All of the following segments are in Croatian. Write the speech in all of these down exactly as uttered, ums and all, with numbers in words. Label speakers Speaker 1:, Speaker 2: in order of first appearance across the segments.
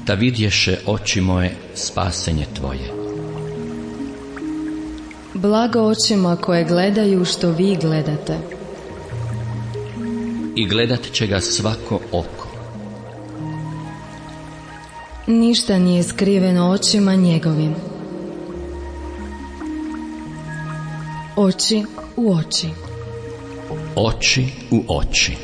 Speaker 1: da vidješe oči moje spasenje tvoje.
Speaker 2: Blago očima koje gledaju što vi gledate.
Speaker 1: I gledat će ga svako oko.
Speaker 2: Ništa nije skriveno očima njegovim. Oči u oči.
Speaker 1: Oči u oči.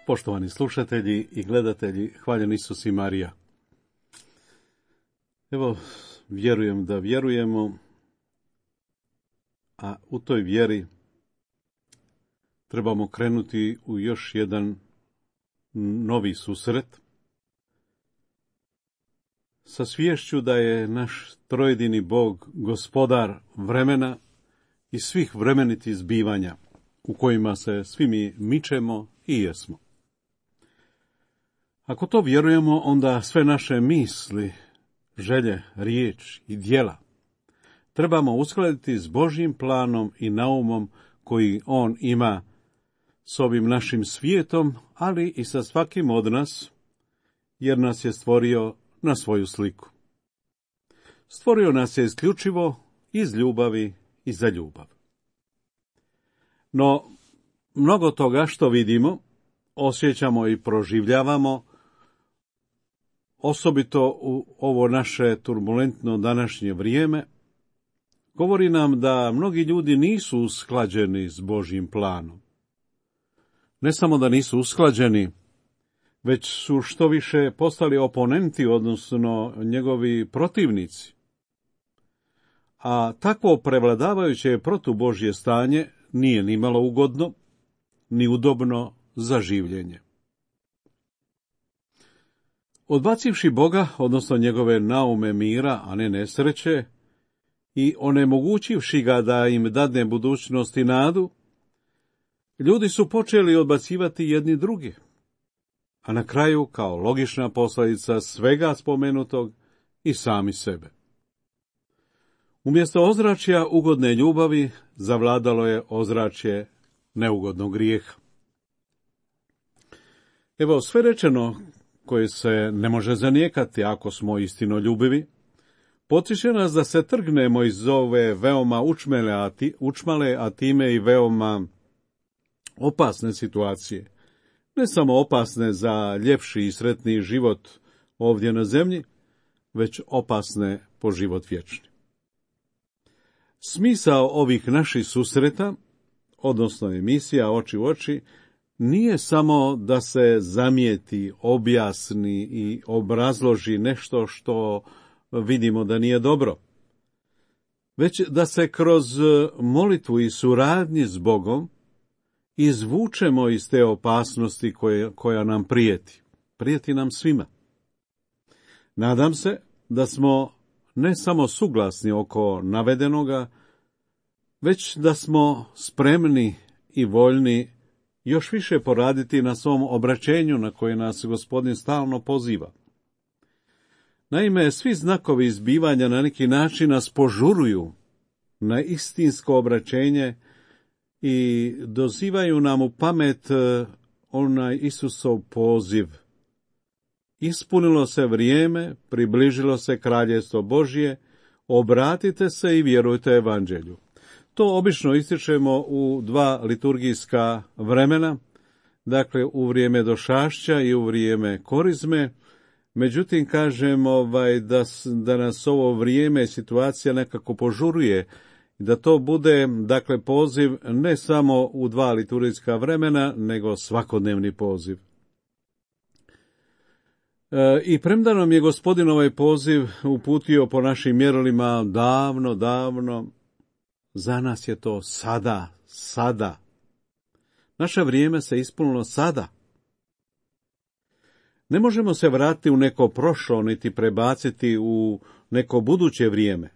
Speaker 3: Poštovani slušatelji i gledatelji, hvaljen Isus i Marija. Evo, vjerujem da vjerujemo, a u toj vjeri trebamo krenuti u još jedan novi susret sa sviješću da je naš trojedini Bog gospodar vremena i svih vremenitih zbivanja u kojima se svi mi mičemo i jesmo. Ako to vjerujemo, onda sve naše misli, želje, riječ i djela trebamo uskladiti s Božjim planom i naumom koji On ima s ovim našim svijetom, ali i sa svakim od nas, jer nas je stvorio na svoju sliku. Stvorio nas je isključivo iz ljubavi i za ljubav. No, mnogo toga što vidimo, osjećamo i proživljavamo, osobito u ovo naše turbulentno današnje vrijeme, govori nam da mnogi ljudi nisu usklađeni s Božjim planom. Ne samo da nisu usklađeni, već su što više postali oponenti, odnosno njegovi protivnici. A takvo prevladavajuće protubožje stanje nije ni malo ugodno, ni udobno za življenje. Odbacivši Boga, odnosno njegove naume mira, a ne nesreće, i onemogućivši ga da im dadne budućnost i nadu, ljudi su počeli odbacivati jedni drugi, a na kraju, kao logična posljedica svega spomenutog, i sami sebe. Umjesto ozračja ugodne ljubavi, zavladalo je ozračje neugodnog grijeha. Evo, sve rečeno koje se ne može zanijekati ako smo istinoljubivi, potiče nas da se trgnemo iz ove veoma učmele, a ti, učmale, a time i veoma opasne situacije. Ne samo opasne za ljepši i sretniji život ovdje na zemlji, već opasne po život vječni. Smisao ovih naših susreta, odnosno emisija Oči u oči, nije samo da se zamijeti, objasni i obrazloži nešto što vidimo da nije dobro, već da se kroz molitvu i suradnji s Bogom izvučemo iz te opasnosti koje, koja nam prijeti. Prijeti nam svima. Nadam se da smo ne samo suglasni oko navedenoga, već da smo spremni i voljni još više poraditi na svom obraćenju na koje nas Gospodin stalno poziva. Naime, svi znakovi izbivanja na neki način nas požuruju na istinsko obraćenje i dozivaju nam u pamet onaj Isusov poziv. Ispunilo se vrijeme, približilo se kraljestvo Božje, obratite se i vjerujte evanđelju. To obično ističemo u dva liturgijska vremena, dakle u vrijeme došašća i u vrijeme korizme. Međutim, kažem ovaj, da, da nas ovo vrijeme i situacija nekako požuruje, da to bude, dakle, poziv ne samo u dva liturgijska vremena, nego svakodnevni poziv. E, I premda nam je Gospodin ovaj poziv uputio po našim mjerilima davno, davno, za nas je to sada, sada. Naše vrijeme se ispunilo sada. Ne možemo se vratiti u neko prošlo, niti prebaciti u neko buduće vrijeme.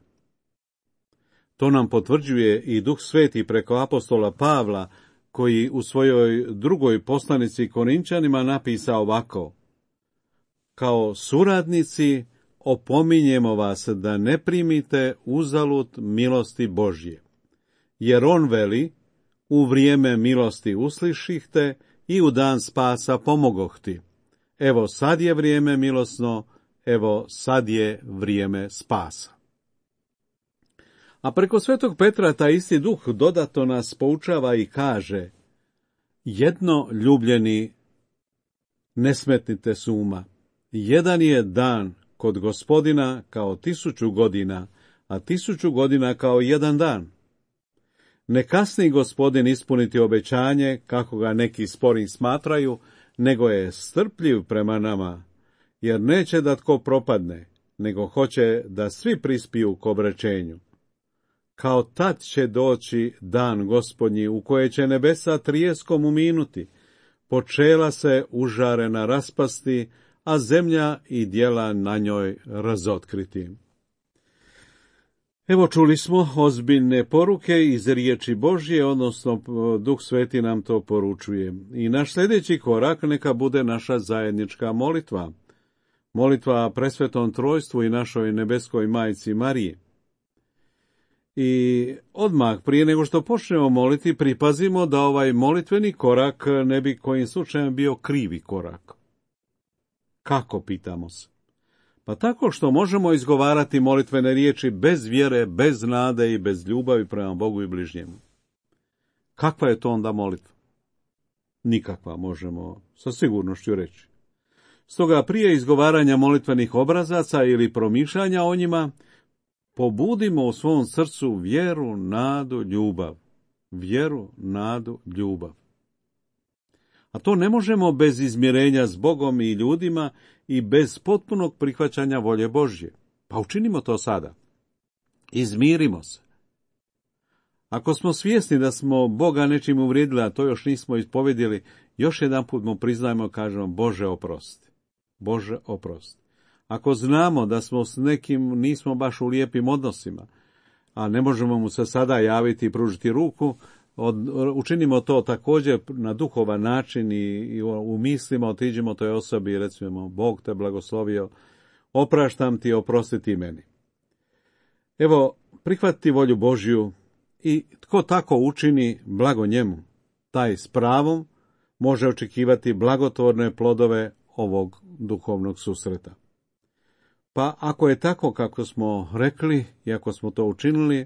Speaker 3: To nam potvrđuje i Duh Sveti preko apostola Pavla, koji u svojoj drugoj poslanici Korinčanima napisa ovako: kao suradnici opominjemo vas da ne primite uzalud milosti Božje, jer on veli, u vrijeme milosti uslišihte i u dan spasa pomogohti. Evo sad je vrijeme milosno, evo sad je vrijeme spasa. A preko svetog Petra taj isti Duh dodatno nas poučava i kaže: jedno, ljubljeni, ne smetnite s uma. Jedan je dan kod Gospodina kao tisuću godina, a tisuću godina kao jedan dan. Ne kasni Gospodin ispuniti obećanje, kako ga neki spori smatraju, nego je strpljiv prema nama, jer neće da tko propadne, nego hoće da svi prispiju k obraćenju. Kao tad će doći dan Gospodnji, u koje će nebesa trijeskom uminuti, počela se užarena raspasti, a zemlja i djela na njoj razotkriti. Evo, čuli smo ozbiljne poruke iz riječi Božje, odnosno Duh Sveti nam to poručuje. I naš sljedeći korak neka bude naša zajednička molitva. Molitva presvetom trojstvu i našoj nebeskoj majci Mariji. I odmah, prije nego što počnemo moliti, pripazimo da ovaj molitveni korak ne bi kojim slučajem bio krivi korak. Kako, pitamo se? Pa tako što možemo izgovarati molitvene riječi bez vjere, bez nade i bez ljubavi prema Bogu i bližnjemu. Kakva je to onda molitva? Nikakva, možemo sa sigurnošću reći. Stoga prije izgovaranja molitvenih obrazaca ili promišljanja o njima, pobudimo u svom srcu vjeru, nadu, ljubav. Vjeru, nadu, ljubav. A to ne možemo bez izmirenja s Bogom i ljudima i bez potpunog prihvaćanja volje Božje. Pa učinimo to sada. Izmirimo se. Ako smo svjesni da smo Boga nečim uvrijedili, a to još nismo ispovedili, još jedan put mu priznajmo, kažemo: Bože oprosti. Bože oprosti. Ako znamo da smo s nekim nismo baš u lijepim odnosima, a ne možemo mu se sada javiti i pružiti ruku, Od, učinimo to također na duhovan način i, i u mislima otiđimo toj osobi i recimo: Bog te blagoslovio, opraštam ti, oprosti ti meni. Evo, prihvatiti volju Božju i tko tako učini, blago njemu. Taj s pravom može očekivati blagotvorne plodove ovog duhovnog susreta. Pa ako je tako kako smo rekli i ako smo to učinili,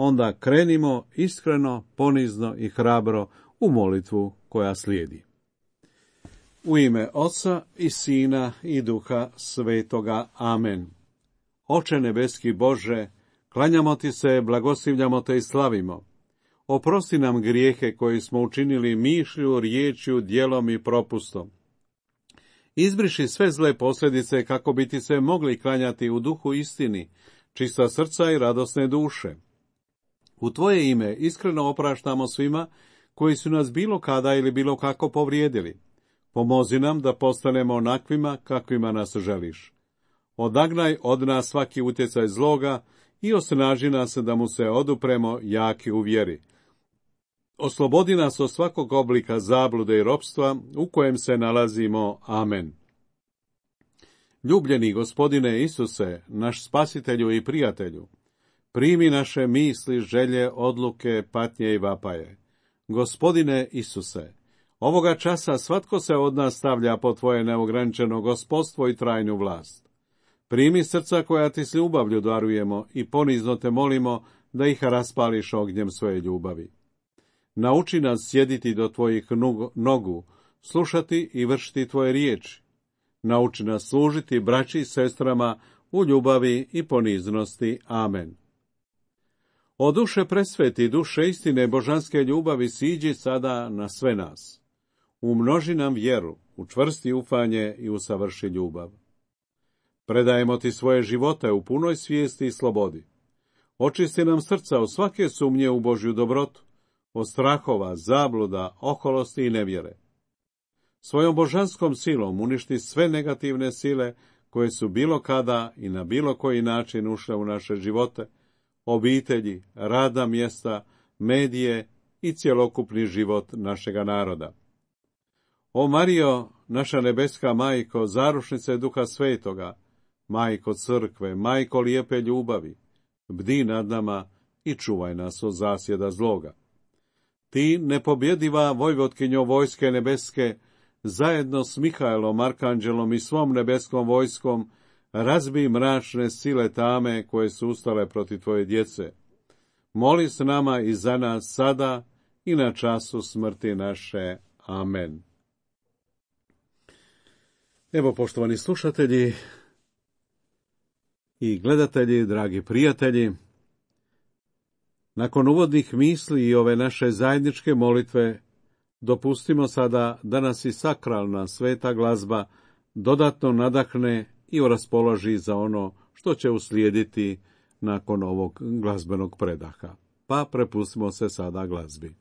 Speaker 3: onda krenimo iskreno, ponizno i hrabro u molitvu koja slijedi. U ime Oca i Sina i Duha Svetoga. Amen. Oče nebeski Bože, klanjamo ti se, blagoslivljamo te i slavimo. Oprosti nam grijehe koje smo učinili mišlju, riječju, djelom i propustom. Izbriši sve zle posljedice kako bi ti se mogli klanjati u duhu istini, čista srca i radosne duše. U tvoje ime iskreno opraštamo svima koji su nas bilo kada ili bilo kako povrijedili. Pomozi nam da postanemo onakvima kakvima nas želiš. Odagnaj od nas svaki utjecaj zloga i osnaži nas da mu se odupremo jaki u vjeri. Oslobodi nas od svakog oblika zablude i ropstva u kojem se nalazimo. Amen. Ljubljeni Gospodine Isuse, naš spasitelju i prijatelju, primi naše misli, želje, odluke, patnje i vapaje. Gospodine Isuse, ovoga časa svatko se od nas stavlja po tvoje neograničeno gospodstvo i trajnu vlast. Primi srca koja ti s ljubavlju darujemo i ponizno te molimo da ih raspališ ognjem svoje ljubavi. Nauči nas sjediti do tvojih nogu, slušati i vršiti tvoje riječi. Nauči nas služiti braći i sestrama u ljubavi i poniznosti. Amen. O duše presveti, duše istine božanske ljubavi, siđi sada na sve nas. Umnoži nam vjeru, učvrsti ufanje i usavrši ljubav. Predajemo ti svoje živote u punoj svijesti i slobodi. Očisti nam srca od svake sumnje u Božju dobrotu, od strahova, zabluda, oholosti i nevjere. svojom božanskom silom uništi sve negativne sile koje su bilo kada i na bilo koji način ušle u naše živote, obitelji, radna mjesta, medije i cjelokupni život našega naroda. O Marijo, naša nebeska majko, zarušnice Duha Svetoga, majko crkve, majko lijepe ljubavi, bdi nad nama i čuvaj nas od zasjeda zloga. Ti, nepobjediva vojvotkinjo vojske nebeske, zajedno s Mihaelom, arkanđelom i svom nebeskom vojskom, razbij mračne sile tame koje su ustale protiv tvoje djece. Moli s nama i za nas sada i na času smrti naše. Amen. Evo, poštovani slušatelji i gledatelji, dragi prijatelji, nakon uvodnih misli i ove naše zajedničke molitve, dopustimo sada da nas i sakralna sveta glazba dodatno nadahne i raspoloži za ono što će uslijediti nakon ovog glazbenog predaha. Pa prepustimo se sada glazbi.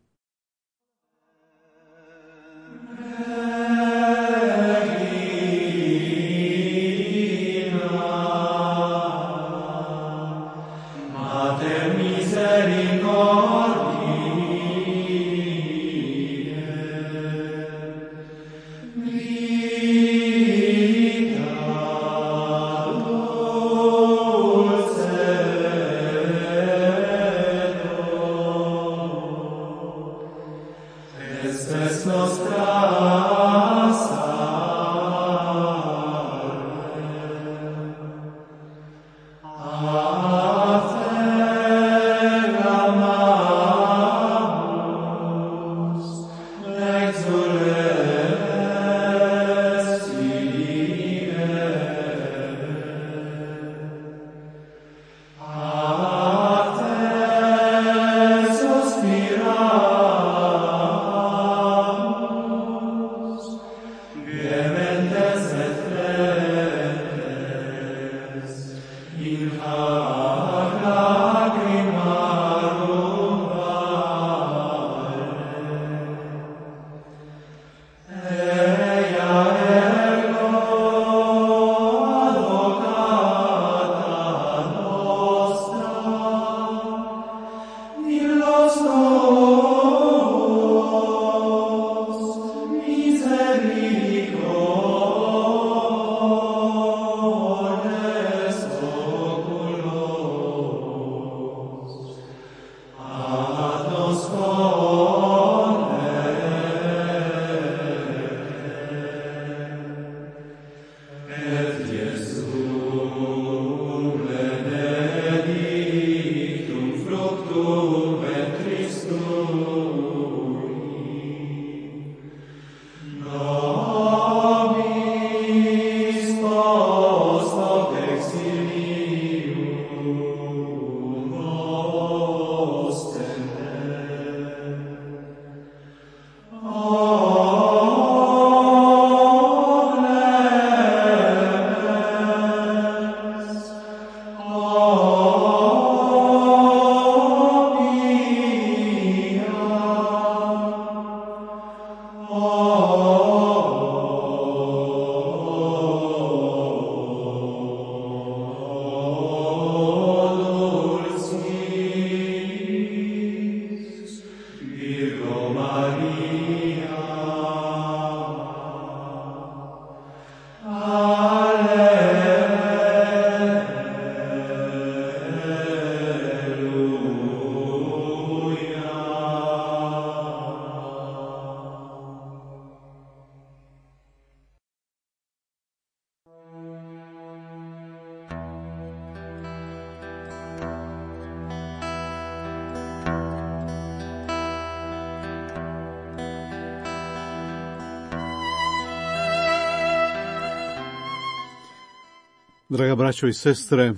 Speaker 3: Draga braćo i sestre,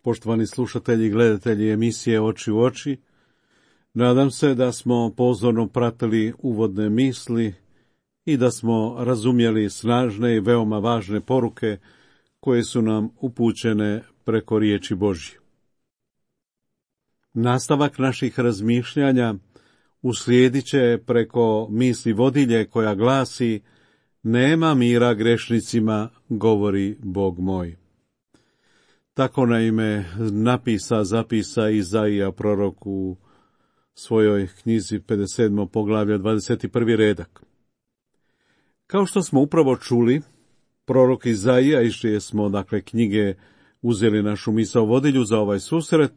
Speaker 3: poštovani slušatelji i gledatelji emisije Oči u oči, nadam se da smo pozorno pratili uvodne misli i da smo razumjeli snažne i veoma važne poruke koje su nam upućene preko riječi Božje. Nastavak naših razmišljanja uslijedit će preko misli vodilje koja glasi: nema mira grešnicima, govori Bog moj. Tako naime napisa, zapisa Izaija prorok u svojoj knjizi pedeset sedmo poglavlje dvadeset prvi redak. Kao što smo upravo čuli, prorok Izaija, iz čije smo dakle knjige uzeli našu misao vodilju za ovaj susret,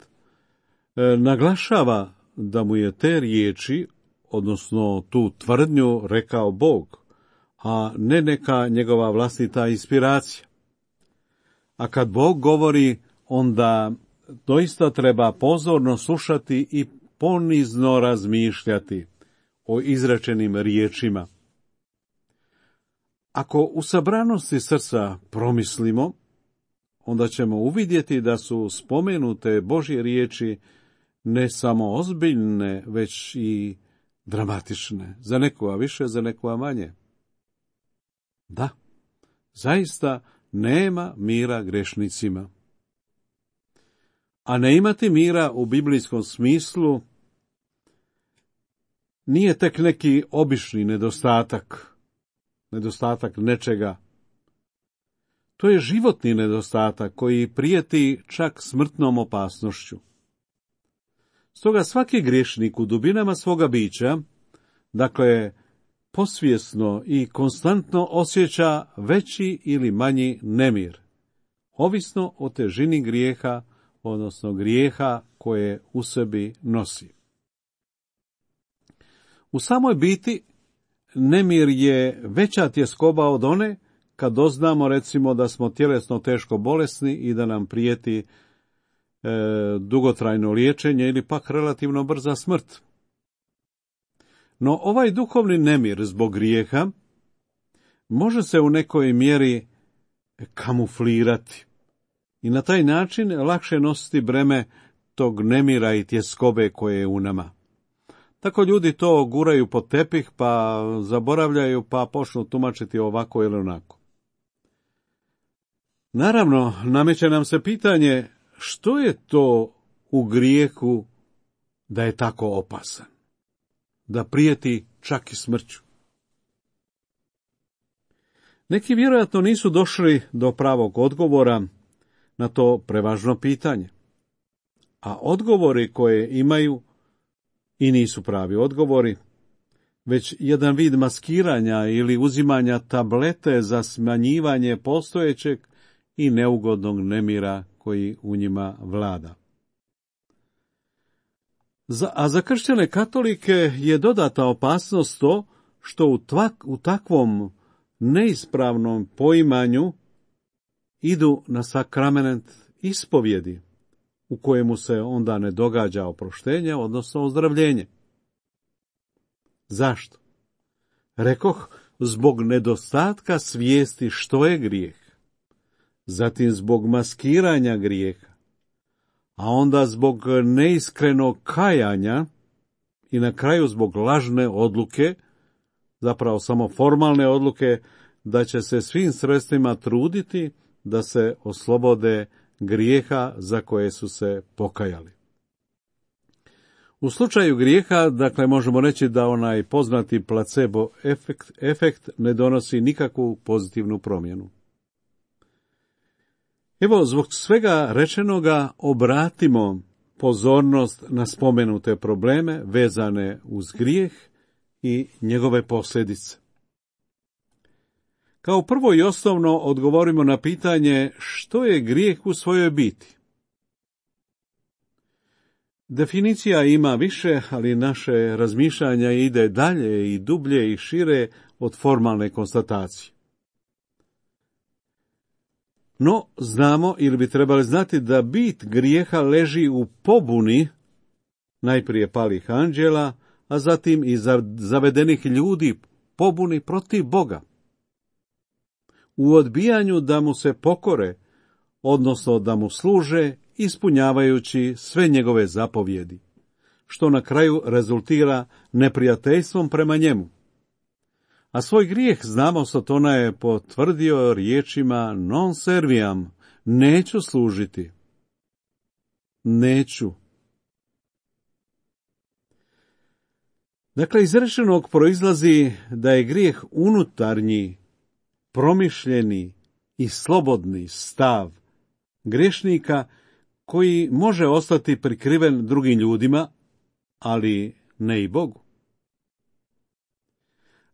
Speaker 3: e, naglašava da mu je te riječi, odnosno tu tvrdnju, rekao Bog, a ne neka njegova vlastita inspiracija. A kad Bog govori, onda doista treba pozorno slušati i ponizno razmišljati o izrečenim riječima. Ako u sabranosti srca promislimo, onda ćemo uvidjeti da su spomenute Božje riječi ne samo ozbiljne, već i dramatične, za nekoga više, za nekoga manje. Da, zaista nema mira grešnicima. A ne imati mira u biblijskom smislu nije tek neki obični nedostatak, nedostatak nečega. To je životni nedostatak koji prijeti čak smrtnom opasnošću. Stoga svaki griješnik u dubinama svoga bića, dakle, posvjesno i konstantno osjeća veći ili manji nemir, ovisno o težini grijeha, odnosno grijeha koje u sebi nosi. U samoj biti nemir je veća tjeskoba od one kad doznamo recimo da smo tjelesno teško bolesni i da nam prijeti e, dugotrajno liječenje ili pak relativno brza smrt. No ovaj duhovni nemir zbog grijeha može se u nekoj mjeri kamuflirati i na taj način lakše nositi breme tog nemira i tjeskobe koje je u nama. Tako ljudi to guraju pod tepih, pa zaboravljaju, pa počnu tumačiti ovako ili onako. Naravno, nameće nam se pitanje što je to u grijehu da je tako opasan, da prijeti čak i smrću. Neki vjerojatno nisu došli do pravog odgovora na to prevažno pitanje, a odgovori koje imaju i nisu pravi odgovori, već jedan vid maskiranja ili uzimanja tablete za smanjivanje postojećeg i neugodnog nemira koji u njima vlada. Za, a za kršćane katolike je dodatna opasnost to što u, tvak, u takvom neispravnom poimanju idu na sakrament ispovjedi, u kojemu se onda ne događa oproštenje, odnosno ozdravljenje. Zašto? Rekoh, zbog nedostatka svijesti što je grijeh, zatim zbog maskiranja grijeha, a onda zbog neiskrenog kajanja i na kraju zbog lažne odluke, zapravo samo formalne odluke, da će se svim sredstvima truditi da se oslobode grijeha za koje su se pokajali. U slučaju grijeha, dakle, možemo reći da onaj poznati placebo efekt, efekt ne donosi nikakvu pozitivnu promjenu. Evo, zbog svega rečenoga obratimo pozornost na spomenute probleme vezane uz grijeh i njegove posljedice. Kao prvo i osnovno odgovorimo na pitanje što je grijeh u svojoj biti. Definicija ima više, ali naše razmišljanja ide dalje i dublje i šire od formalne konstatacije. No, znamo ili bi trebali znati da bit grijeha leži u pobuni najprije palih anđela, a zatim i zavedenih ljudi pobuni protiv Boga. U odbijanju da mu se pokore, odnosno da mu služe, ispunjavajući sve njegove zapovjedi, što na kraju rezultira neprijateljstvom prema njemu. A svoj grijeh, znamo, Satona je potvrdio riječima non serviam, neću služiti. Neću. Dakle, iz rečenog proizlazi da je grijeh unutarnji promišljeni i slobodni stav grešnika koji može ostati prikriven drugim ljudima, ali ne i Bogu.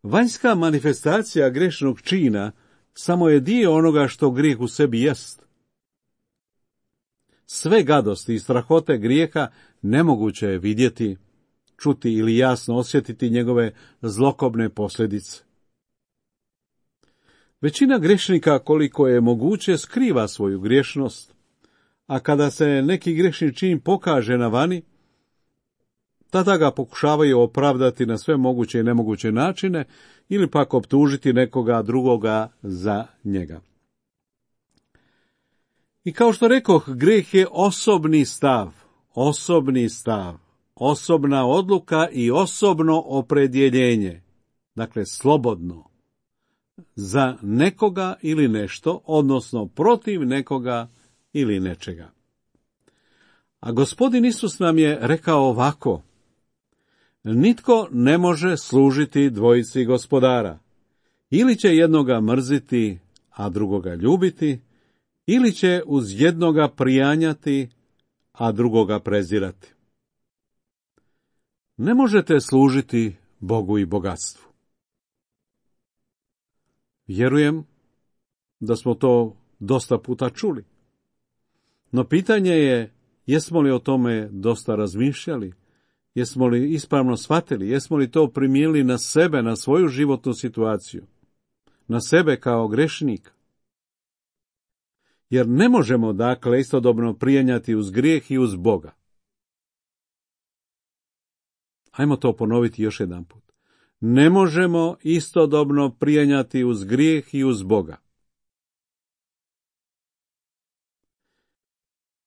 Speaker 3: Vanjska manifestacija grešnog čina samo je dio onoga što grijeh u sebi jest. Sve gadosti i strahote grijeha nemoguće je vidjeti, čuti ili jasno osjetiti njegove zlokobne posljedice. Većina grešnika, koliko je moguće, skriva svoju griješnost, a kada se neki grešni čin pokaže na vani, tada ga pokušavaju opravdati na sve moguće i nemoguće načine ili pak optužiti nekoga drugoga za njega. I kao što rekoh, grijeh je osobni stav, osobni stav, osobna odluka i osobno opredjeljenje, dakle slobodno, za nekoga ili nešto, odnosno protiv nekoga ili nečega. A Gospodin Isus nam je rekao ovako: nitko ne može služiti dvojici gospodara. Ili će jednoga mrziti, a drugoga ljubiti, ili će uz jednoga prijanjati, a drugoga prezirati. Ne možete služiti Bogu i bogatstvu. Vjerujem da smo to dosta puta čuli. No pitanje je, jesmo li o tome dosta razmišljali? Jesmo li ispravno shvatili? Jesmo li to primijenili na sebe, na svoju životnu situaciju? Na sebe kao grešnika? Jer ne možemo, dakle, istodobno prijenjati uz grijeh i uz Boga. Ajmo to ponoviti još jedan put. Ne možemo istodobno prijenjati uz grijeh i uz Boga.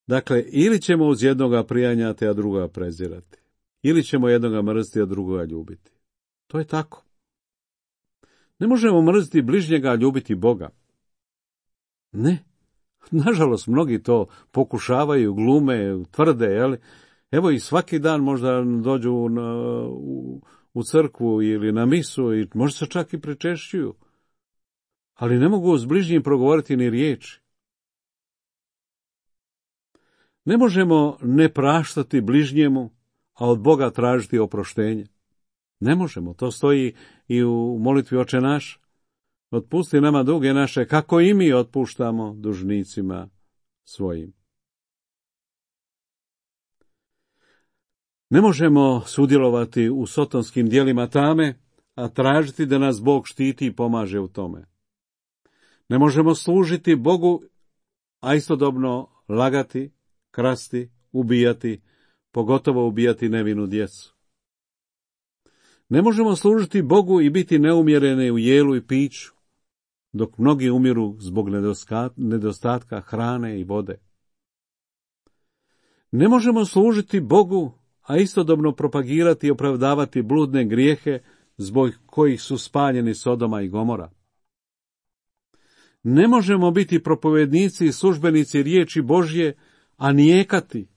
Speaker 3: Dakle, ili ćemo uz jednoga prijanjati, a drugoga prezirati. Ili ćemo jednoga mrziti, a drugoga ljubiti. To je tako. Ne možemo mrziti bližnjega, a ljubiti Boga. Ne. Nažalost, mnogi to pokušavaju, glume, tvrde, jel? Evo i svaki dan možda dođu na, u, u crkvu ili na misu i možda se čak i prečešćuju. Ali ne mogu s bližnjim progovoriti ni riječi. Ne možemo ne praštati bližnjemu, a od Boga tražiti oproštenje. Ne možemo, to stoji i u molitvi Oče naš. Otpusti nama duge naše, kako i mi otpuštamo dužnicima svojim. Ne možemo sudjelovati u sotonskim djelima tame, a tražiti da nas Bog štiti i pomaže u tome. Ne možemo služiti Bogu, a istodobno lagati, krasti, ubijati, pogotovo ubijati nevinu djecu. Ne možemo služiti Bogu i biti neumjereni u jelu i piću, dok mnogi umiru zbog nedostatka hrane i vode. Ne možemo služiti Bogu, a istodobno propagirati i opravdavati bludne grijehe zbog kojih su spaljeni Sodoma i Gomora. Ne možemo biti propovednici i službenici riječi Božje, a nijekati,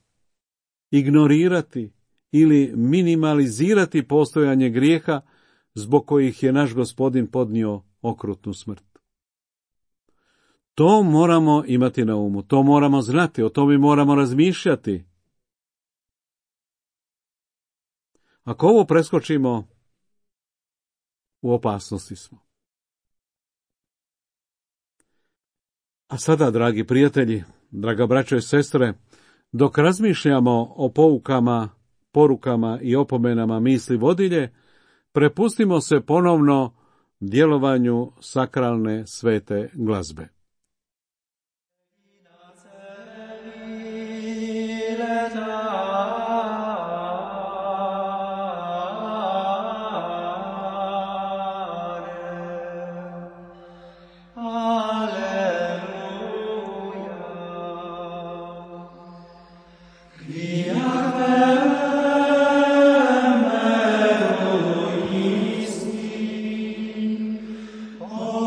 Speaker 3: ignorirati ili minimalizirati postojanje grijeha zbog kojih je naš Gospodin podnio okrutnu smrt. To moramo imati na umu, to moramo znati, o tome moramo razmišljati. Ako ovo preskočimo, u opasnosti smo. A sada, dragi prijatelji, draga braćo i sestre, dok razmišljamo o poukama, porukama i opomenama misli vodilje, prepustimo se ponovno djelovanju sakralne svete glazbe.
Speaker 4: Oh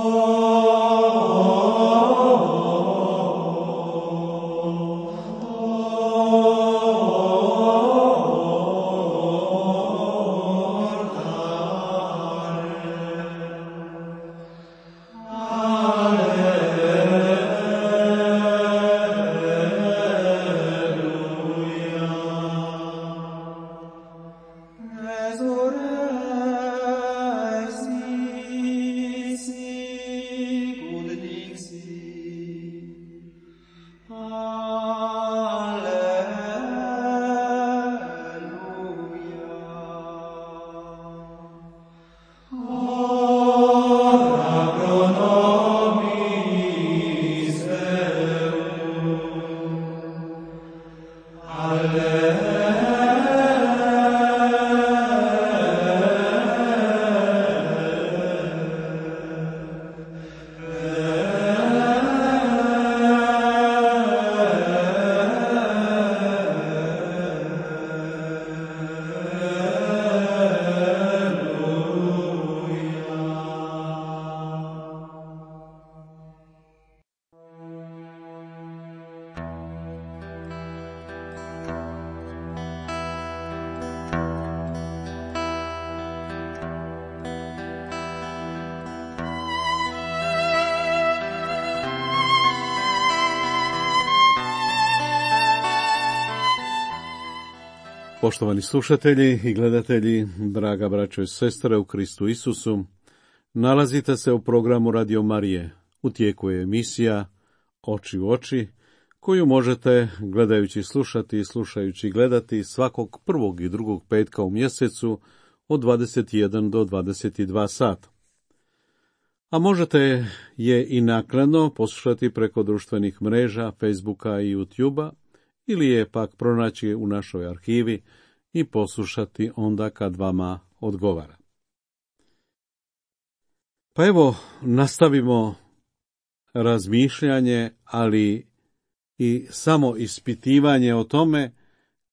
Speaker 3: Poštovani slušatelji i gledatelji, draga braćo i sestre u Kristu Isusu, nalazite se u programu Radio Marije. U tijeku je emisija Oči u oči, koju možete gledajući slušati i slušajući gledati svakog prvog i drugog petka u mjesecu od dvadeset jedan do dvadeset dva sata. A možete je i naknadno poslušati preko društvenih mreža, Facebooka i YouTubea, ili je pak pronaći u našoj arhivi i poslušati onda kad vama odgovara. Pa evo, nastavimo razmišljanje, ali i samo ispitivanje o tome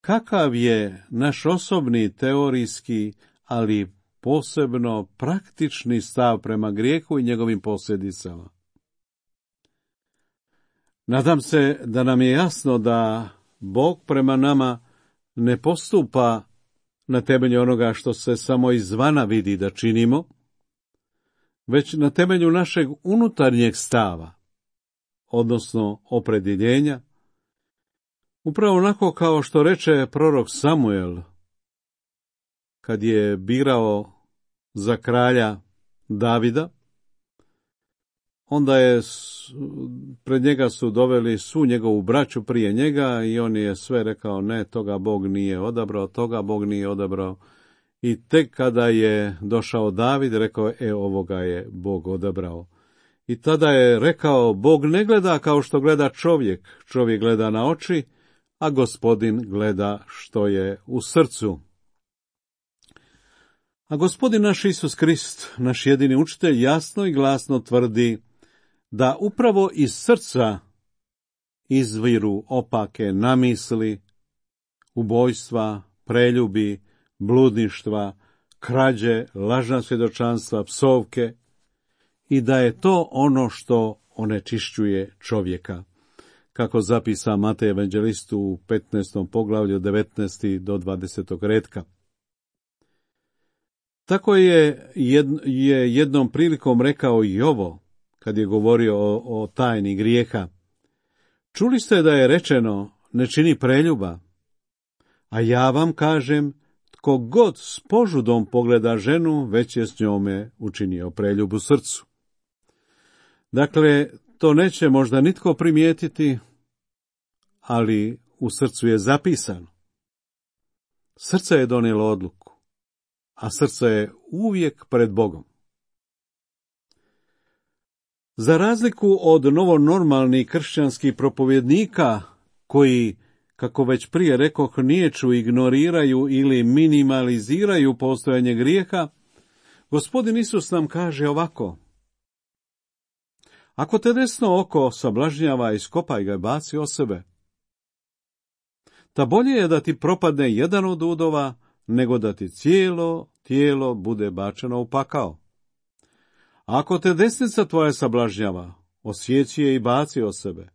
Speaker 3: kakav je naš osobni teorijski, ali posebno praktični stav prema grijehu i njegovim posljedicama. Nadam se da nam je jasno da Bog prema nama ne postupa na temelju onoga što se samo izvana vidi da činimo, već na temelju našeg unutarnjeg stava, odnosno opredjeljenja, upravo onako kao što reče prorok Samuel, kad je birao za kralja Davida, onda je pred njega su doveli svu njegovu braću prije njega i on je sve rekao, ne, toga Bog nije odabrao, toga Bog nije odabrao. I tek kada je došao David, rekao je, e, ovoga je Bog odabrao. I tada je rekao, Bog ne gleda kao što gleda čovjek, čovjek gleda na oči, a Gospodin gleda što je u srcu. A Gospodin naš Isus Krist, naš jedini učitelj, jasno i glasno tvrdi da upravo iz srca izviru opake namisli, ubojstva, preljubi, bludništva, krađe, lažna svjedočanstva, psovke, i da je to ono što onečišćuje čovjeka, kako zapisa Matej evanđelistu u petnaestom poglavlju devetnaesti do dvadesetog retka. Tako je, jed, je jednom prilikom rekao i ovo, kad je govorio o, o tajni grijeha. Čuli ste da je rečeno, ne čini preljuba, a ja vam kažem, tko god s požudom pogleda ženu, već je s njome učinio preljub u srcu. Dakle, to neće možda nitko primijetiti, ali u srcu je zapisano. Srce je donijelo odluku, a srce je uvijek pred Bogom. Za razliku od novonormalnih kršćanskih propovjednika, koji, kako već prije rekoh, niječu, ignoriraju ili minimaliziraju postojanje grijeha, Gospodin Isus nam kaže ovako: ako te desno oko sablažnjava, iskopaj ga i baci o sebe. Ta bolje je da ti propadne jedan od udova, nego da ti cijelo tijelo bude bačeno u pakao. Ako te desnica tvoja sablažnjava, osjeći je i baci o sebe.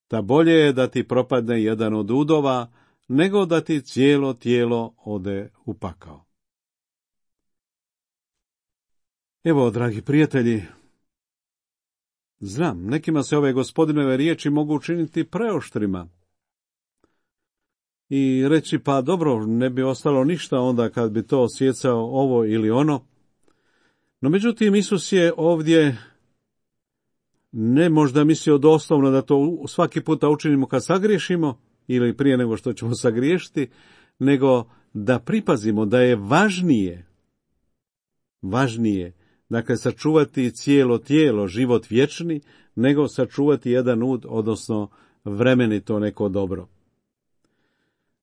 Speaker 3: Ta bolje je da ti propadne jedan od udova, nego da ti cijelo tijelo ode u pakao. Evo, dragi prijatelji, znam, nekima se ove Gospodinove riječi mogu učiniti preoštrima i reći, pa dobro, ne bi ostalo ništa onda kad bi to osjecao ovo ili ono. No međutim, Isus je ovdje ne možda mislio doslovno da to svaki puta učinimo kad sagriješimo, ili prije nego što ćemo sagriješiti, nego da pripazimo da je važnije, važnije, dakle, sačuvati cijelo tijelo, život vječni, nego sačuvati jedan ud, odnosno vremenito neko dobro.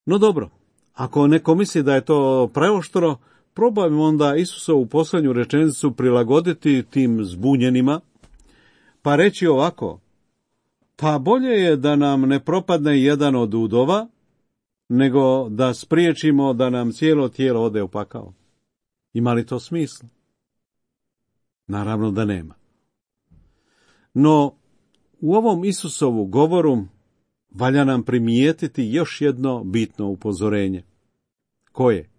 Speaker 3: No dobro, ako neko misli da je to preoštro, probajmo onda Isusovu posljednju rečenicu prilagoditi tim zbunjenima, pa reći ovako: pa bolje je da nam ne propadne jedan od udova, nego da spriječimo da nam cijelo tijelo ode u pakao. Ima li to smisla? Naravno da nema. No, u ovom Isusovu govoru valja nam primijetiti još jedno bitno upozorenje. Koje?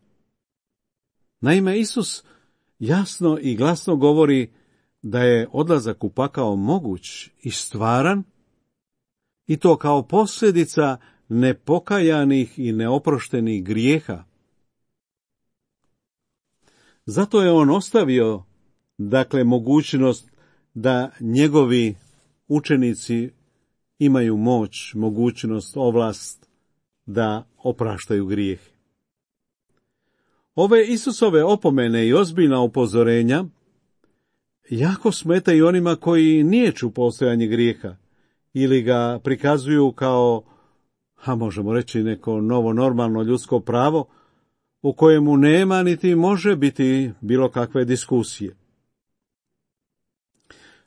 Speaker 3: Naime, Isus jasno i glasno govori da je odlazak u pakao moguć i stvaran, i to kao posljedica nepokajanih i neoproštenih grijeha. Zato je on ostavio, dakle, mogućnost da njegovi učenici imaju moć, mogućnost, ovlast da opraštaju grijeh. Ove Isusove opomene i ozbiljna upozorenja jako smetaju onima koji niječu postojanje grijeha ili ga prikazuju kao, a možemo reći, neko novo normalno ljudsko pravo u kojemu nema niti može biti bilo kakve diskusije.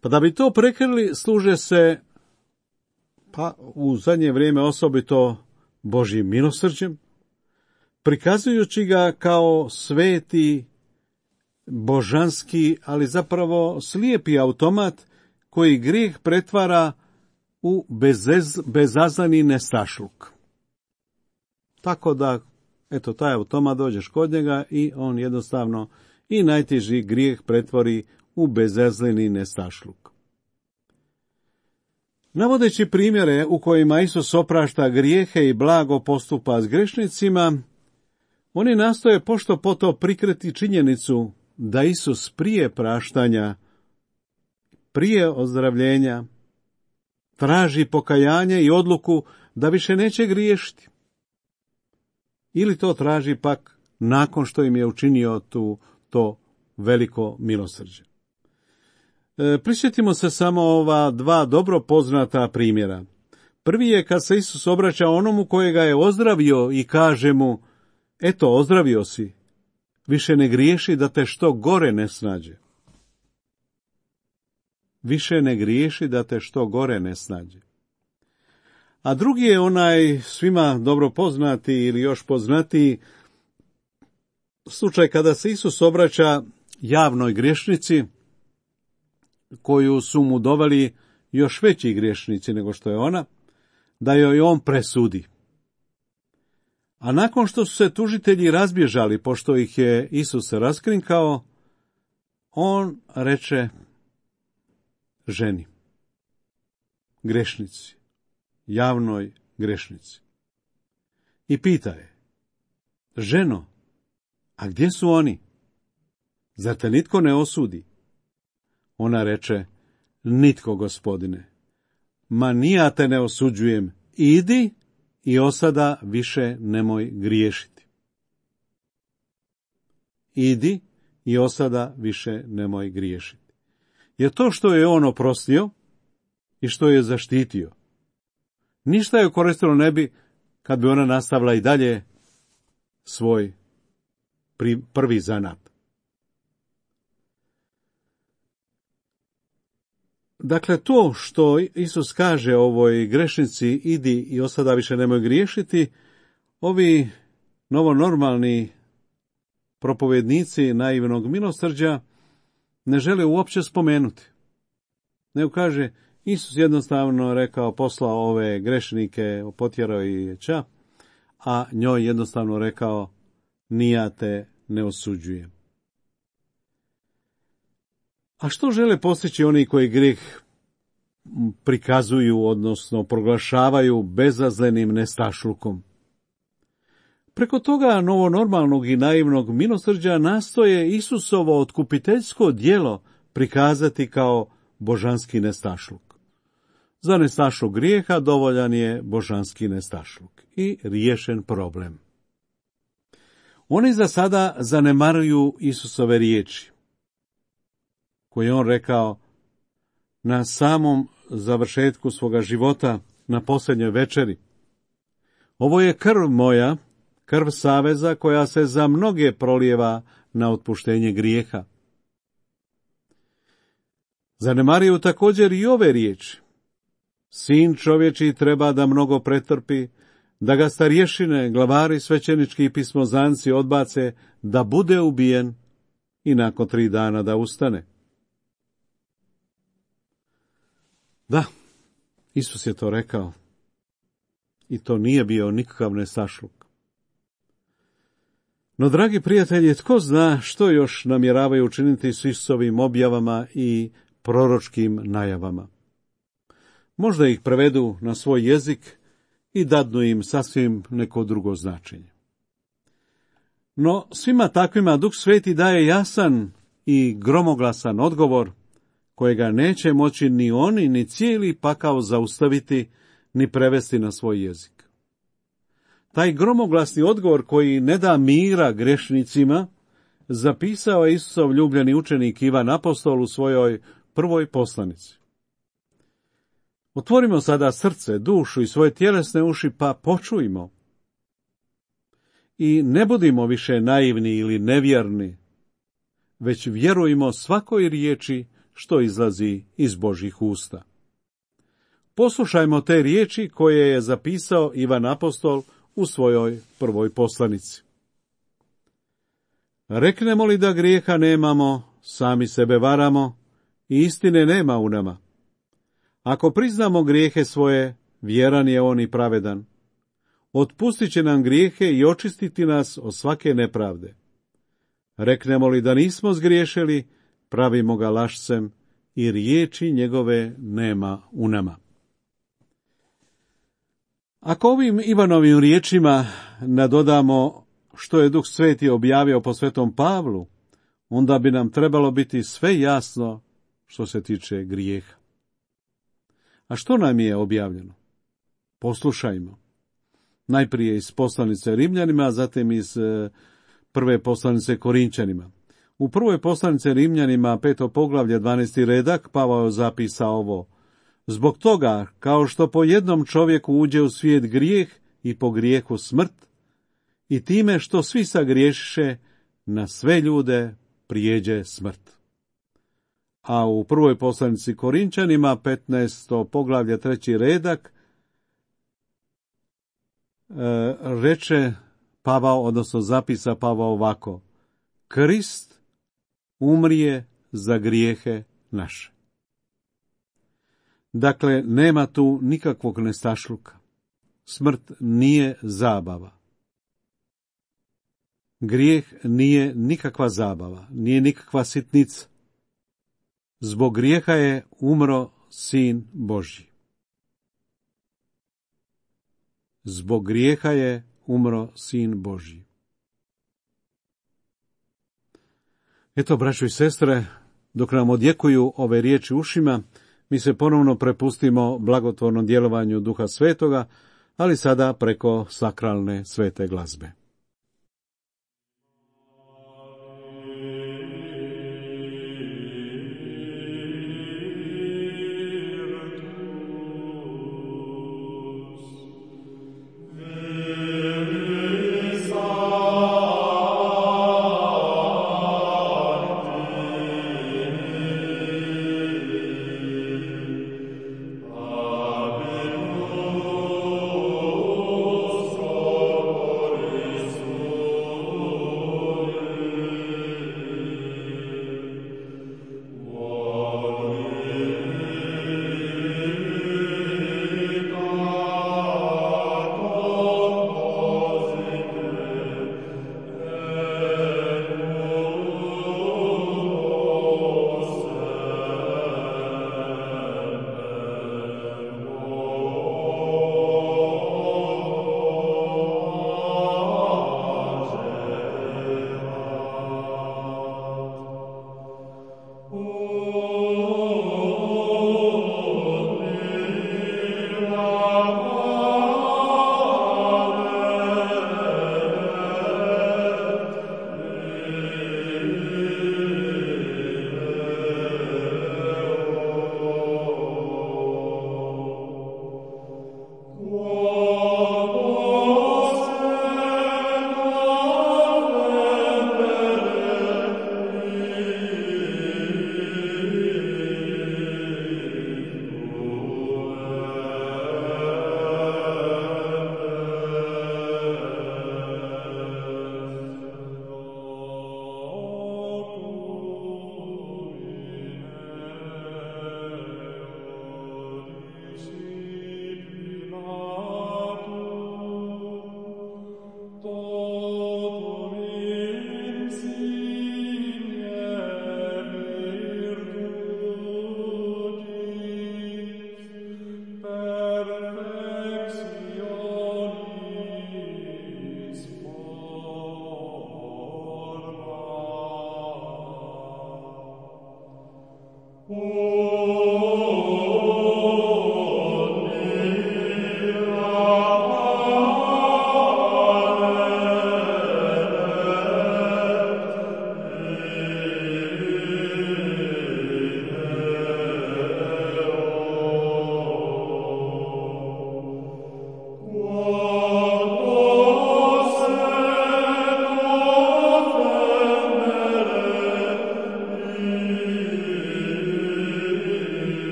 Speaker 3: Pa da bi to prekrili, služe se, pa u zadnje vrijeme osobito, Božjim milosrđem, prikazujući ga kao sveti, božanski, ali zapravo slijepi automat koji grijeh pretvara u bezez, bezazleni nestašluk. Tako da, eto, taj automat, dođeš kod njega i on jednostavno i najteži grijeh pretvori u bezazleni nestašluk. Navodeći primjere u kojima Isus oprašta grijehe i blago postupa s grešnicima, oni nastoje pošto poto prikriti činjenicu da Isus prije praštanja, prije ozdravljenja, traži pokajanje i odluku da više neće griješiti. Ili to traži pak nakon što im je učinio tu, to veliko milosrđe. E, prisjetimo se samo ova dva dobro poznata primjera. Prvi je kad se Isus obraća onomu kojega je ozdravio i kaže mu: eto, ozdravio si, više ne griješi da te što gore ne snađe. Više ne griješi da te što gore ne snađe. A drugi je onaj svima dobro poznati ili još poznatiji slučaj kada se Isus obraća javnoj griješnici, koju su mu doveli još veći griješnici nego što je ona, da joj on presudi. A nakon što su se tužitelji razbježali, pošto ih je Isus raskrinkao, on reče ženi, grešnici, javnoj grešnici, i pita je: ženo, a gdje su oni? Zar te nitko ne osudi? Ona reče: nitko, gospodine. Ma ni ja te ne osuđujem, idi i osada više nemoj griješiti. Idi i osada više nemoj griješiti. Jer to što je on oprostio i što je zaštitio, ništa je koristilo ne bi kad bi ona nastavila i dalje svoj prvi zanat. Dakle, to što Isus kaže ovoj grešnici: idi i osada više nemoj griješiti, ovi novonormalni propovjednici naivnog milosrđa ne žele uopće spomenuti. Nego kaže, Isus jednostavno rekao, poslao ove grešnike, potjerao i ča, a njoj jednostavno rekao: ni ja te ne osuđujem. A što žele postići oni koji grijeh prikazuju, odnosno proglašavaju bezazlenim nestašlukom? Preko toga novonormalnog i naivnog milosrđa nastoje Isusovo otkupiteljsko djelo prikazati kao božanski nestašluk. Za nestašluk grijeha dovoljan je božanski nestašluk i riješen problem. Oni za sada zanemaruju Isusove riječi, koje je on rekao na samom završetku svoga života, na posljednjoj večeri. Ovo je krv moja, krv saveza koja se za mnoge prolijeva na otpuštenje grijeha. Zanemaruju također i ove riječi. Sin čovječiji treba da mnogo pretrpi, da ga starješine, glavari, svećenički i pismozanci odbace, da bude ubijen i nakon tri dana da ustane. Da, Isus je to rekao. I to nije bio nikakav nestašluk. No, dragi prijatelji, tko zna što još namjeravaju učiniti s Isusovim objavama i proročkim najavama. Možda ih prevedu na svoj jezik i dadnu im sasvim neko drugo značenje. No, svima takvima Duh Sveti daje jasan i gromoglasan odgovor, kojega neće moći ni oni, ni cijeli pakao zaustaviti, ni prevesti na svoj jezik. Taj gromoglasni odgovor koji ne da mira grešnicima, zapisao je Isusov ljubljeni učenik Ivan Apostol u svojoj prvoj poslanici. Otvorimo sada srce, dušu i svoje tjelesne uši, pa počujmo. I ne budimo više naivni ili nevjerni, već vjerujmo svakoj riječi što izlazi iz Božjih usta. Poslušajmo te riječi koje je zapisao Ivan Apostol u svojoj prvoj poslanici. Reknemo li da grijeha nemamo, sami sebe varamo i istine nema u nama. Ako priznamo grijehe svoje, vjeran je on i pravedan. Otpustit će nam grijehe i očistiti nas od svake nepravde. Reknemo li da nismo zgriješili, pravimo ga lašcem i riječi njegove nema u nama. Ako ovim Ivanovim riječima nadodamo što je Duh Sveti objavio po svetom Pavlu, onda bi nam trebalo biti sve jasno što se tiče grijeha. A što nam je objavljeno? Poslušajmo. Najprije iz poslanice Rimljanima, a zatim iz prve poslanice Korinčanima. U prvoj poslanice Rimljanima, peto poglavlje, dvanaesti redak, Pavao zapisa ovo. Zbog toga, kao što po jednom čovjeku uđe u svijet grijeh i po grijehu smrt, i time što svi sagriješiše, na sve ljude prijeđe smrt. A u prvoj poslanici Korinčanima, petnaesto poglavlje, treći redak, e, reče Pavao, odnosno zapisa Pavao ovako. Krist umrije za grijehe naše. Dakle, nema tu nikakvog nestašluka. Smrt nije zabava. Grijeh nije nikakva zabava, nije nikakva sitnica. Zbog grijeha je umro Sin Božji. Zbog grijeha je umro Sin Božji. Eto, braćo i sestre, dok nam odjekuju ove riječi ušima, mi se ponovno prepustimo blagotvornom djelovanju Duha Svetoga, ali sada preko sakralne svete glazbe.
Speaker 4: Amen.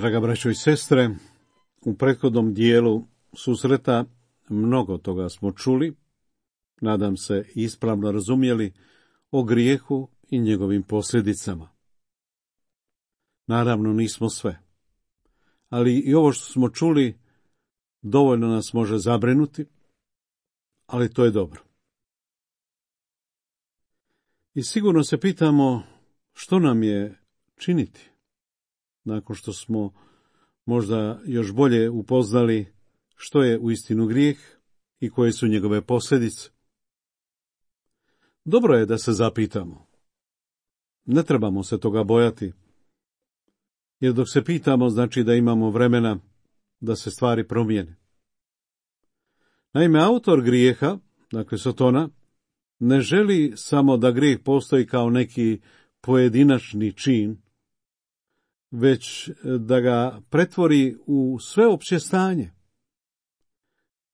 Speaker 3: Draga braćo i sestre, u prethodnom dijelu susreta mnogo toga smo čuli, nadam se ispravno razumjeli, o grijehu i njegovim posljedicama. Naravno nismo sve, ali i ovo što smo čuli dovoljno nas može zabrinuti, ali to je dobro. I sigurno se pitamo što nam je činiti, nakon što smo možda još bolje upoznali što je uistinu grijeh i koje su njegove posljedice. Dobro je da se zapitamo. Ne trebamo se toga bojati, jer dok se pitamo znači da imamo vremena da se stvari promijene. Naime, autor grijeha, dakle Sotona, ne želi samo da grijeh postoji kao neki pojedinačni čin, već da ga pretvori u sveopće stanje,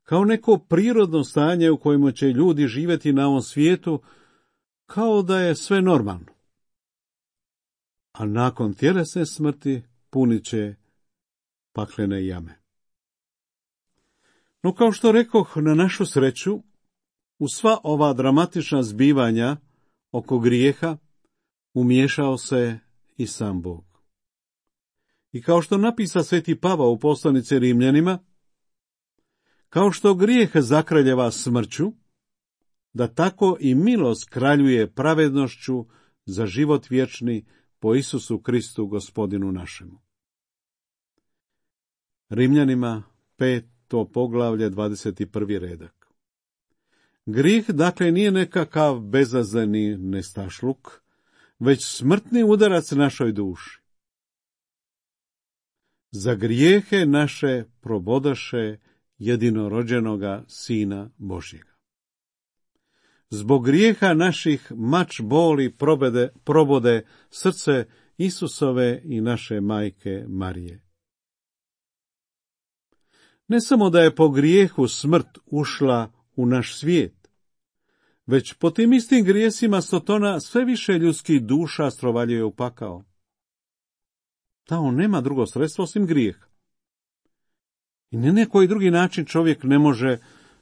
Speaker 3: kao neko prirodno stanje u kojemu će ljudi živjeti na ovom svijetu kao da je sve normalno. A nakon tjelesne smrti punit će paklene jame. No kao što rekoh, na našu sreću, u sva ova dramatična zbivanja oko grijeha umiješao se i sam Bog. I kao što napisa sveti Pavao u poslanici Rimljanima, kao što grijeh zakraljeva smrću, da tako i milost kraljuje pravednošću za život vječni po Isusu Kristu gospodinu našemu. Rimljanima peto poglavlje dvadeset prvi redak. Grijeh dakle nije nekakav bezazleni nestašluk, već smrtni udarac našoj duši. Za grijehe naše probodaše jedinorođenoga Sina Božjega. Zbog grijeha naših mač boli probede, probode srce Isusove i naše majke Marije. Ne samo da je po grijehu smrt ušla u naš svijet, već po tim istim grijesima Sotona sve više ljudskih duša strovaljuje u pakao. Da, on nema drugo sredstvo osim grijeha. I na neki drugi način čovjek ne može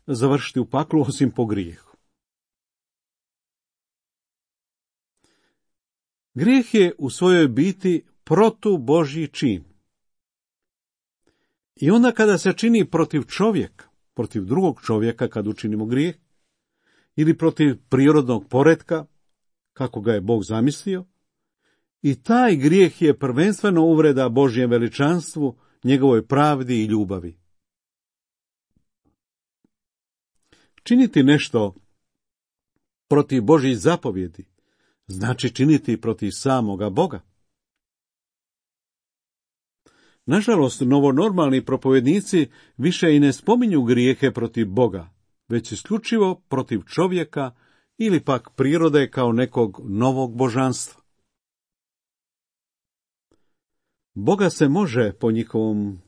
Speaker 3: završiti u paklu osim po grijehu. Grijeh je u svojoj biti protu Božji čin. I onda kada se čini protiv čovjeka, protiv drugog čovjeka kad učinimo grijeh, ili protiv prirodnog poretka, kako ga je Bog zamislio, i taj grijeh je prvenstveno uvreda Božjem veličanstvu, njegovoj pravdi i ljubavi. Činiti nešto protiv Božjih zapovjedi znači činiti protiv samoga Boga. Nažalost, novonormalni propovednici više i ne spominju grijehe protiv Boga, već isključivo protiv čovjeka ili pak prirode kao nekog novog božanstva. Boga se može po njihovom,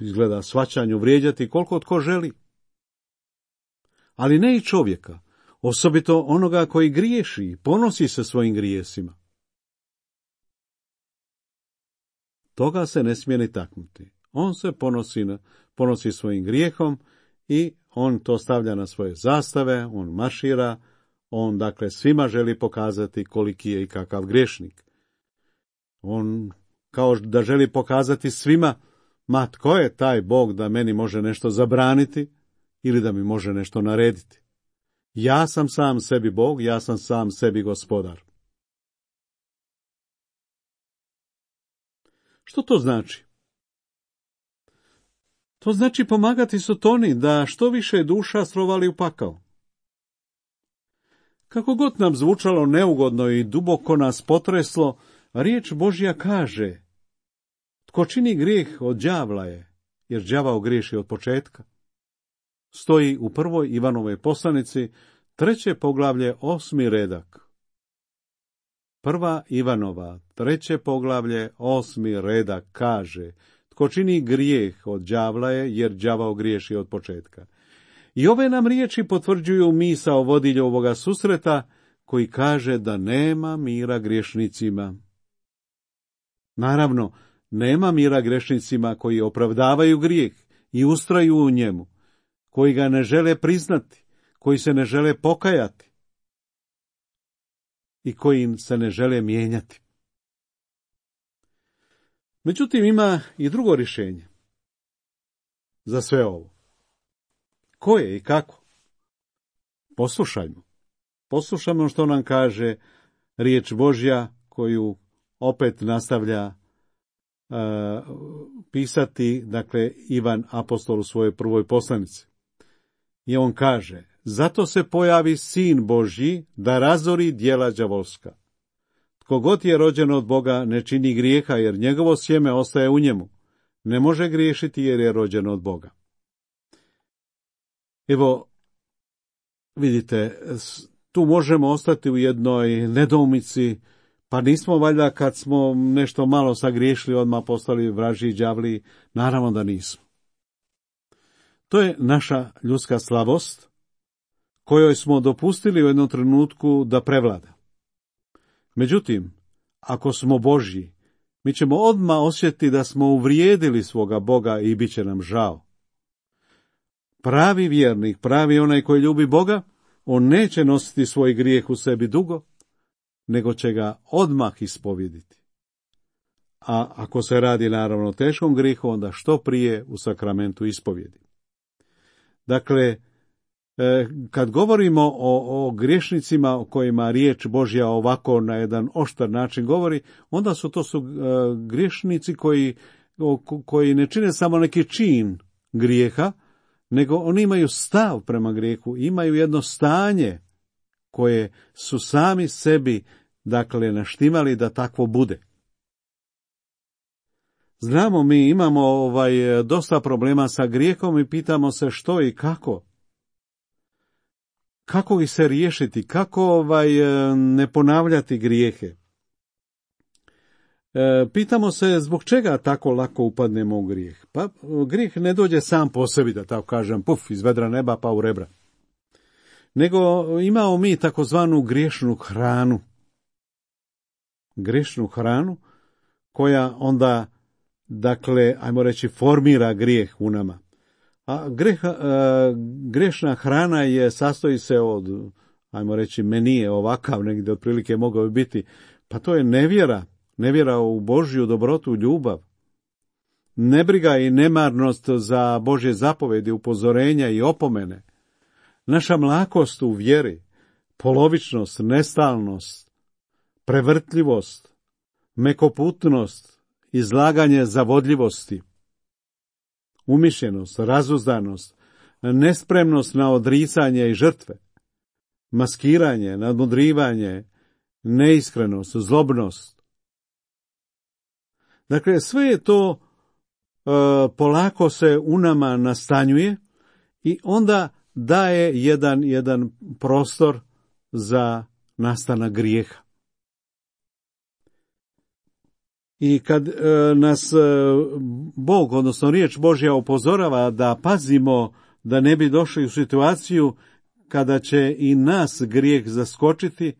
Speaker 3: izgleda, shvaćanju vrijeđati koliko tko želi, ali ne i čovjeka, osobito onoga koji griješi i ponosi se svojim grijesima. Toga se ne smije ni taknuti. On se ponosi, ponosi svojim grijehom i on to stavlja na svoje zastave, on maršira, on dakle svima želi pokazati koliki je i kakav griješnik. On kao da želi pokazati svima, ma tko je taj Bog da meni može nešto zabraniti ili da mi može nešto narediti. Ja sam sam sebi Bog, ja sam sam sebi gospodar. Što to znači? To znači pomagati Sotoni da što više duša strovali u pakao. Kako god nam zvučalo neugodno i duboko nas potreslo, riječ Božja kaže: tko čini grijeh od đavla je, jer đavao griješi od početka. Stoji u prvoj Ivanovoj poslanici, treće poglavlje, osmi redak. Prva Ivanova, treće poglavlje, osmi redak kaže: tko čini grijeh od đavla je, jer đavao griješi od početka. I ove nam riječi potvrđuju misao vodilja ovoga susreta, koji kaže da nema mira griješnicima. Naravno, Nema mira grešnicima koji opravdavaju grijeh i ustraju u njemu, koji ga ne žele priznati, koji se ne žele pokajati i koji se ne žele mijenjati. Međutim, ima i drugo rješenje za sve ovo. Koje i kako? Poslušajmo. Poslušajmo što nam kaže riječ Božja, koju opet nastavlja uh, pisati, dakle, Ivan apostol u svojoj prvoj poslanici. I on kaže: zato se pojavi Sin Božji da razori djela đavolska. Tko god je rođen od Boga ne čini grijeha, jer njegovo sjeme ostaje u njemu. Ne može griješiti jer je rođen od Boga. Evo, vidite, tu možemo ostati u jednoj nedoumici, pa nismo valjda kad smo nešto malo sagriješili odmah postali vražji i đavli? Naravno da nismo. To je naša ljudska slabost, kojoj smo dopustili u jednom trenutku da prevlada. Međutim, ako smo Božji, mi ćemo odmah osjetiti da smo uvrijedili svoga Boga i bit će nam žao. Pravi vjernik, pravi onaj koji ljubi Boga, on neće nositi svoj grijeh u sebi dugo, nego će ga odmah ispovjediti. A ako se radi naravno o teškom grijehu, onda što prije u sakramentu ispovjedi. Dakle, kad govorimo o, o griješnicima o kojima riječ Božja ovako na jedan oštar način govori, onda su to su uh, griješnici koji, koji ne čine samo neki čin grijeha, nego oni imaju stav prema grijehu, imaju jedno stanje koje su sami sebi, dakle, naštimali da takvo bude. Znamo, mi imamo ovaj dosta problema sa grijehom i pitamo se što i kako. Kako ih se riješiti, kako ovaj ne ponavljati grijehe. E, pitamo se zbog čega tako lako upadnemo u grijeh. Pa grijeh ne dođe sam po sebi, da tako kažem, puf, iz vedra neba pa u rebra. Nego imamo mi takozvanu griješnu hranu. Griješnu hranu koja onda, dakle, ajmo reći, formira grijeh u nama. A greh, grešna hrana je, sastoji se od, ajmo reći, menije ovakav, negdje otprilike mogao bi biti, pa to je nevjera, nevjera u Božju dobrotu, ljubav. Nebriga i nemarnost za Božje zapovedi, upozorenja i opomene. Naša mlakost u vjeri, polovičnost, nestalnost, prevrtljivost, mekoputnost, izlaganje zavodljivosti, umišljenost, razuzdanost, nespremnost na odricanje i žrtve, maskiranje, nadmudrivanje, neiskrenost, zlobnost. Dakle, sve je to e, polako se u nama nastanjuje i onda daje jedan, jedan prostor za nastanak grijeha. I kad e, nas e, Bog, odnosno riječ Božja upozorava da pazimo da ne bi došli u situaciju kada će i nas grijeh zaskočiti,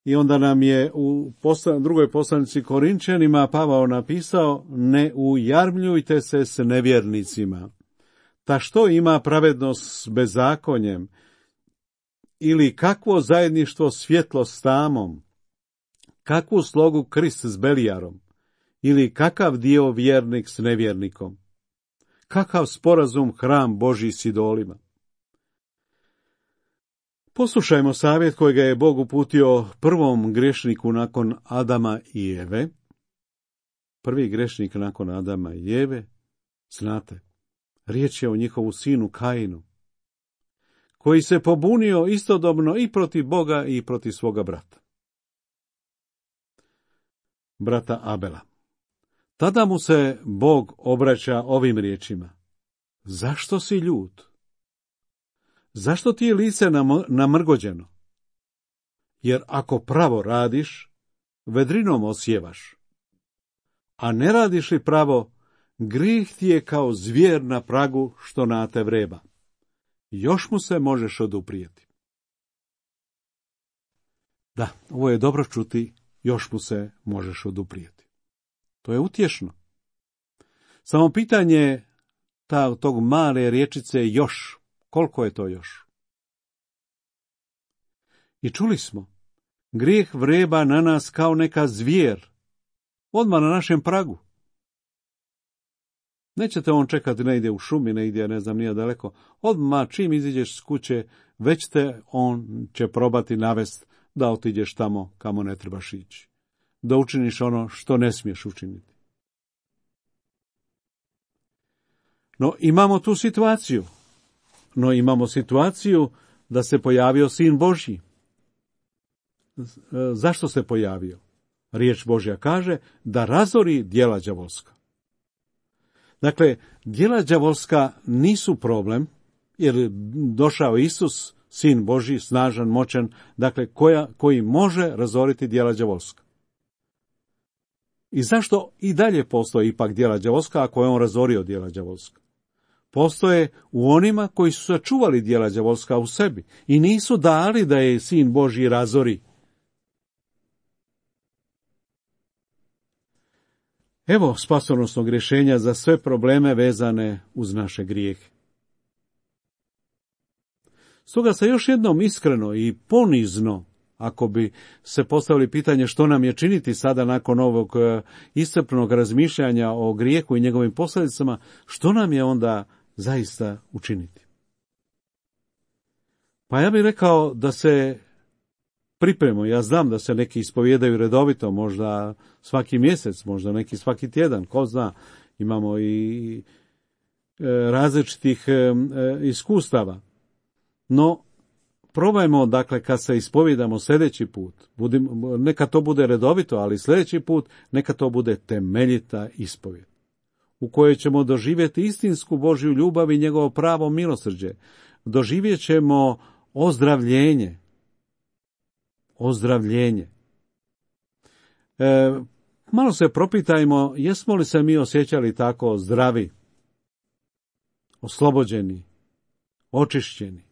Speaker 3: i onda nam je u poslan, drugoj poslanici Korinčanima Pavao napisao: ne ujarmljujte se s nevjernicima. Ta što ima pravednost s bezakonjem? Ili kakvo zajedništvo svjetlo s tamom? Kakvu slogu Krist s Belijarom? Ili kakav dio vjernik s nevjernikom? Kakav sporazum hram Božji s idolima? Poslušajmo savjet kojega je Bog uputio prvom grešniku nakon Adama i Eve. Prvi grešnik nakon Adama i Eve, znate, riječ je o njihovu sinu Kainu, koji se pobunio istodobno i protiv Boga i protiv svoga brata. Brata Abela. Tada mu se Bog obraća ovim riječima: zašto si ljut? Zašto ti je lice namrgođeno? Jer ako pravo radiš, vedrinom osjevaš. A ne radiš li pravo, grijeh ti je kao zvijer na pragu što na te vreba. Još mu se možeš oduprijeti. Da, ovo je dobro čuti, još mu se možeš oduprijeti. To je utješno. Samo pitanje ta, tog male riječice još. Koliko je to još? I čuli smo, grijeh vreba na nas kao neka zvijer, odmah na našem pragu. Nećete on čekati negdje u šumi, negdje, ne znam, nije daleko. Odmah čim iziđeš s kuće, već te on će probati navest da otiđeš tamo kamo ne trebaš ići. Da učiniš ono što ne smiješ učiniti. No imamo tu situaciju. No imamo situaciju da se pojavio Sin Božji. Zašto se pojavio? Riječ Božja kaže da razori djela đavolska. Dakle, djela đavolska nisu problem, jer došao Isus, Sin Božji, snažan, moćan, dakle, koja, koji može razoriti djela đavolska. I zašto i dalje postoji ipak djela đavolska, ako je on razorio djela đavolska? Postoje u onima koji su sačuvali djela đavolska u sebi i nisu dali da je Sin Božji razori. Evo spasonosnog rješenja za sve probleme vezane uz naše grijehe. Stoga se još jednom iskreno i ponizno, ako bi se postavili pitanje što nam je činiti sada nakon ovog iscrpnog razmišljanja o grijehu i njegovim posljedicama, što nam je onda zaista učiniti? Pa ja bih rekao da se pripremimo. Ja znam da se neki ispovijedaju redovito, možda svaki mjesec, možda neki svaki tjedan, ko zna, imamo i različitih iskustava. No, probajmo, dakle, kad se ispovijedamo sljedeći put, budim, neka to bude redovito, ali sljedeći put neka to bude temeljita ispovijed, u kojoj ćemo doživjeti istinsku Božju ljubav i njegovo pravo milosrđe. Doživjet ćemo ozdravljenje. Ozdravljenje. E, malo se propitajmo, jesmo li se mi osjećali tako zdravi, oslobođeni, očišćeni,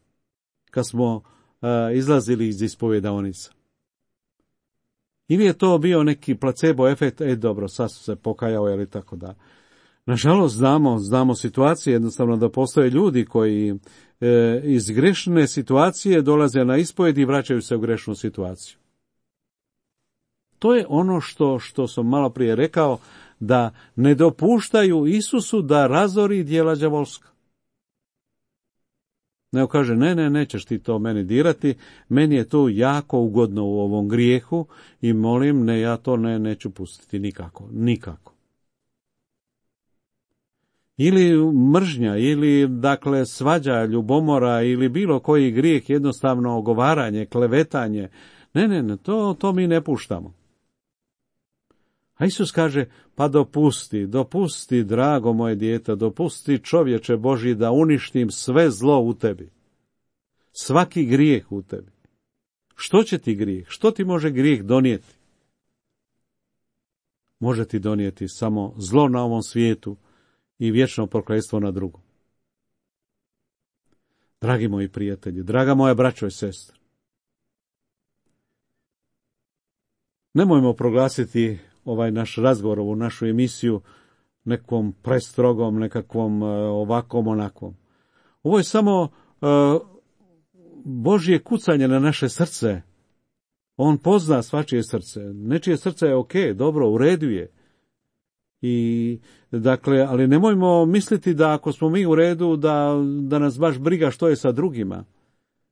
Speaker 3: kad smo e, izlazili iz ispovjedaonica. Ili je to bio neki placebo efekt, e dobro, sad su se pokajao, ili tako da. Nažalost, znamo, znamo situacije, jednostavno da postoje ljudi koji e, iz grešne situacije dolaze na ispovjed i vraćaju se u grešnu situaciju. To je ono što, što sam malo prije rekao, da ne dopuštaju Isusu da razori djela đavolska. Nego kaže, ne, ne, nećeš ti to meni dirati, meni je to jako ugodno u ovom grijehu i molim, ne, ja to ne, neću pustiti nikako, nikako. Ili mržnja, ili dakle svađa, ljubomora, ili bilo koji grijeh, jednostavno ogovaranje, klevetanje. Ne, ne, ne, to, to mi ne puštamo. A Isus kaže, pa dopusti, dopusti, drago moje dijete, dopusti čovječe Božji da uništim sve zlo u tebi. Svaki grijeh u tebi. Što će ti grijeh? Što ti može grijeh donijeti? Može ti donijeti samo zlo na ovom svijetu i vječno prokletstvo na drugom. Dragi moji prijatelji, draga moja braćo i sestre, nemojmo proglasiti ovaj naš razgovor, ovu našu emisiju nekom prestrogom, nekakvom ovakvom, onakvom. Ovo je samo uh, Božje kucanje na naše srce. On pozna svačije srce. Nečije srce je ok, dobro, u redu je. I, dakle, ali nemojmo misliti da ako smo mi u redu, da, da nas baš briga što je sa drugima.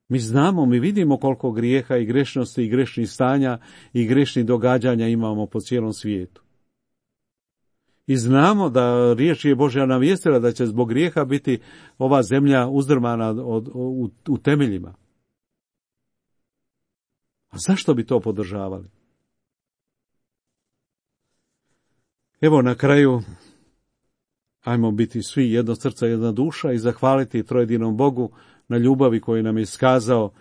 Speaker 3: Mi znamo, mi vidimo koliko grijeha i grešnosti i grešnih stanja i grešnih događanja imamo po cijelom svijetu. I znamo da riječ je Božja navijestila da će zbog grijeha biti ova zemlja uzdrmana od, od, u, u temeljima. A zašto bi to podržavali? Evo na kraju, ajmo biti svi jedno srce, jedna duša i zahvaliti trojedinom Bogu na ljubavi koju nam je iskazao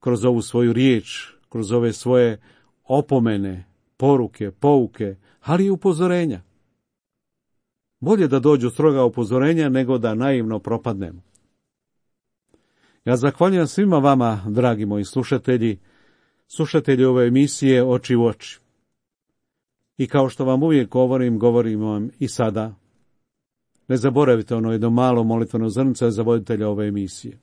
Speaker 3: kroz ovu svoju riječ, kroz ove svoje opomene, poruke, pouke, ali i upozorenja. Bolje da dođu stroga upozorenja nego da naivno propadnemo. Ja zahvaljujem svima vama, dragi moji slušatelji, slušatelji ove emisije Oči u oči. I kao što vam uvijek govorim, govorim vam i sada. Ne zaboravite ono jedno malo molitveno zrnce za voditelja ove emisije.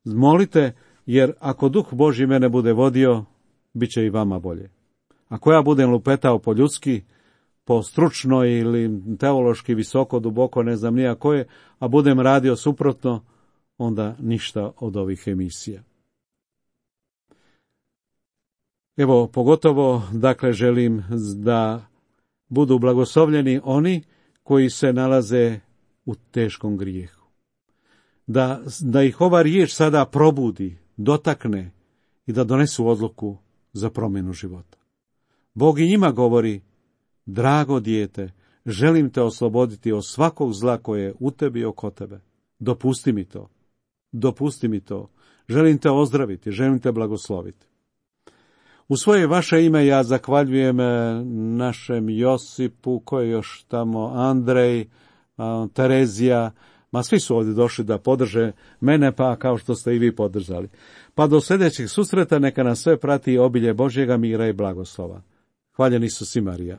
Speaker 3: Molite, jer ako Duh Božji mene bude vodio, bit će i vama bolje. Ako ja budem lupetao po ljudski, po stručno ili teološki visoko, duboko, ne znam nija koje, a budem radio suprotno, onda ništa od ovih emisija. Evo, pogotovo, dakle, želim da budu blagoslovljeni oni koji se nalaze u teškom grijehu. Da, da ih ova riječ sada probudi, dotakne i da donesu odluku za promjenu života. Bog i njima govori: drago dijete, želim te osloboditi od svakog zla koje je u tebi i oko tebe. Dopusti mi to. Dopusti mi to. Želim te ozdraviti, želim te blagosloviti. U svoje vaše ime ja zahvaljujem našem Josipu, koji je još tamo, Andrej, Terezija, ma svi su ovdje došli da podrže mene, pa kao što ste i vi podržali. Pa do sljedećeg susreta neka nas sve prati obilje Božjega mira i blagoslova. Hvaljen Isus i Marija.